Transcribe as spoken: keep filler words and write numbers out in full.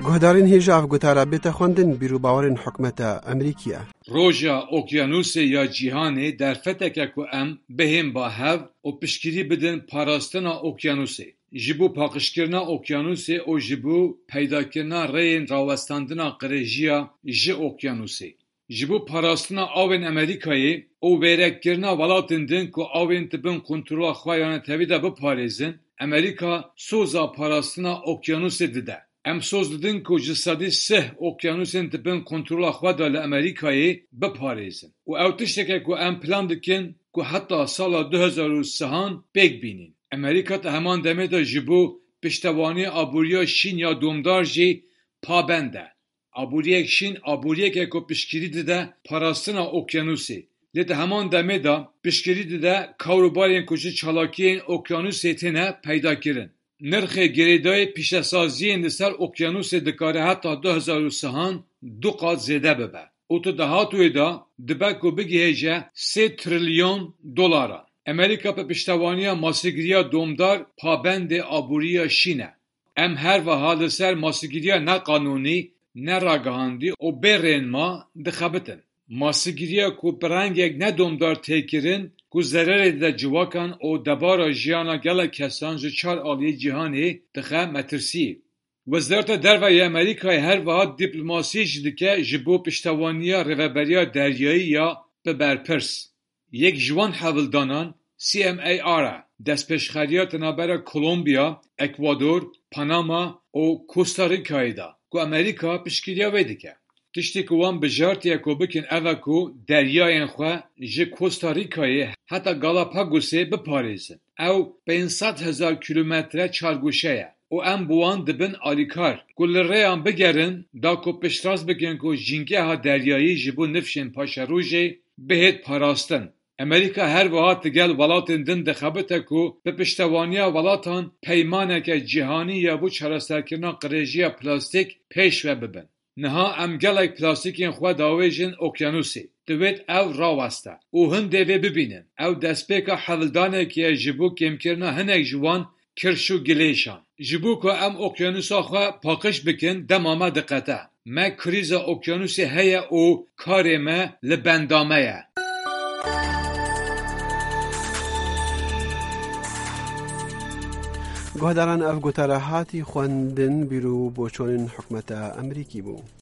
Guhdarên hêja ev gotara bête xwendin, bîr û bawerên hikûmeta Amerîkî ye. Roja Okyanûsê ya Cîhanê derfeteke ku em bihên ba hev û piştgirî bidin parastina okyanûsê, ji bo paqijkirina okyanûsê û ji bo peydakirina rêyên rawestandina qirêjiya ji okyanûsê. Ji bo parastina awên Amerîkayê û wêrekkirina welatên din ku awên di bin kontrola xwe ya netewî de biparêzin, Amerîka soza parastina okyanûsê dide. Em soz didin ku ji sedî sih okyanûsên di bin kontrola xwe de li Amerîkayê biparêzin. Û ew tişteke ku em plan dikin ku heta sala du hezar ûsihan pêk bînin. Amerîka di heman demê de ji bo piştevaniya aboriya şîn ya domdar jî pabend e. Aboriyek şîn, aboriyeke ku piştgirî dide parastina okyanûsê. Lê di heman demê de piştgirî dide kar û barên ku ji çalakiyên okyanûsê têne peyda kirin. Nirxê girêdayî pîşesaziyên li ser okyanûsê dikare heta du hezar ûsihan du qat zêde bibe. Û di dahatûyê de dibe ku bigihêje sê trilyon dolaran. Amerîka bi piştevaniya masîgiriya domdar pabendê aboriya şîn e. Em her wiha li ser masîgiriya neqanûnî, neragihandî û bê rênma dixebitin. Masîgiriya ku bi rengek nedomdar tê kirin, ku zererê dide ciwakan û debara jiyana gelek kesan ji çar aliyê cîhanê dixe metirsiyê. Wezareta Derve ya Amerîkayê her wiha dîplomasî jî dike ji bo piştevaniya rêveberiya deryayî ya bi berpirs. Yek ji wan hewldanan C M A R e, destpêşxeriya di navbera Kolombiya, Ekwador, Panama û Costa Ricayê de, ku Amerîka piştgiriya wê dike. Tiştê ku wan bijartiye ku bikin ev e ku deryayên xwe ji Costa Ricayê heta Galapagosê biparêzin. Ew pênc sed hezar kîlometre çargoşe ye û em bi wan dibin alîkar ku li rêyan bigerin da ku piştrast bikin ku jîngeha deryayî ji bo nifşên paşerojê bihêt parastin. Amerîka her wiha digel welatên din dixebite ku bi piştevaniya welatan peymaneke cîhanî ya bo çareserkirina qirêjiya plastîk pêş ve bibin. Niha em gelek plastîkên xwe davêjin okyanûsê. Divêt ew raweste û hin dê vê bibînin. Ew destpêka hewldanekê ye ji bo kêmkirina hinek ji wan kirş û gilêşan. Ji bo ku em okyanûsa xwe paqij bikin, dema me diqete. Me krîza okyanûsê heye û karê me li benda me ye. Guhdaran, ev gotara hatî xwendin, bîr û boçonên hikûmeta Amerîkî bû.